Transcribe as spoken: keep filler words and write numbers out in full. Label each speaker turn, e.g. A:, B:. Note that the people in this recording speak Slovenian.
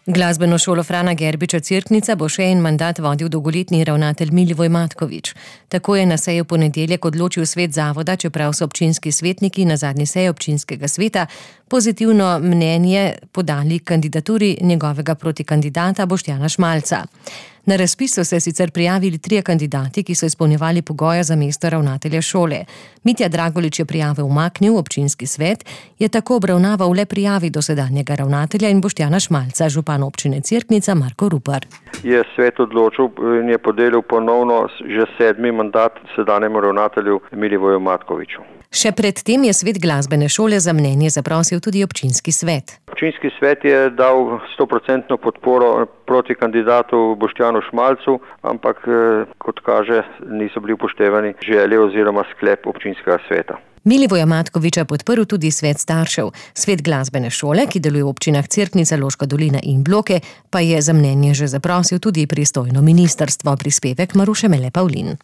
A: Glasbeno šolo Frana Gerbiča Cerknica bo še en mandat vodil dolgoletni ravnatelj Milivoj Matkovič. Tako je na seji v ponedeljek odločil svet zavoda, čeprav so občinski svetniki na zadnji seji občinskega sveta pozitivno mnenje podali kandidaturi njegovega protikandidata Boštjana Šmalca. Na razpis so se sicer prijavili trije kandidati, ki so izpolnjevali pogoje za mesto ravnatelja šole. Mitja Dragolič je prijave umaknil, občinski svet je tako obravnaval le prijavi dosedanjega ravnatelja in Boštjana Šmalca, župan občine Cerknica Marko Rupar.
B: Je svet odločil in je podelil ponovno že sedmi mandat sedanjemu ravnatelju Milivoju Matkoviču.
A: Še pred tem je svet glasbene šole za mnenje zaprosil tudi občinski svet.
B: Občinski svet je dal stoprocentno podporo proti kandidatu Boštjanu Šmalcu, ampak kot kaže niso bili upoštevani želje oziroma sklep občinskega sveta.
A: Milivoja Matkoviča podprl tudi svet staršev. Svet glasbene šole, ki deluje v občinah Cerknica, Loška dolina in Bloke, pa je za mnenje že zaprosil tudi pristojno ministrstvo. Prispevek Maruše Mele Pavlin.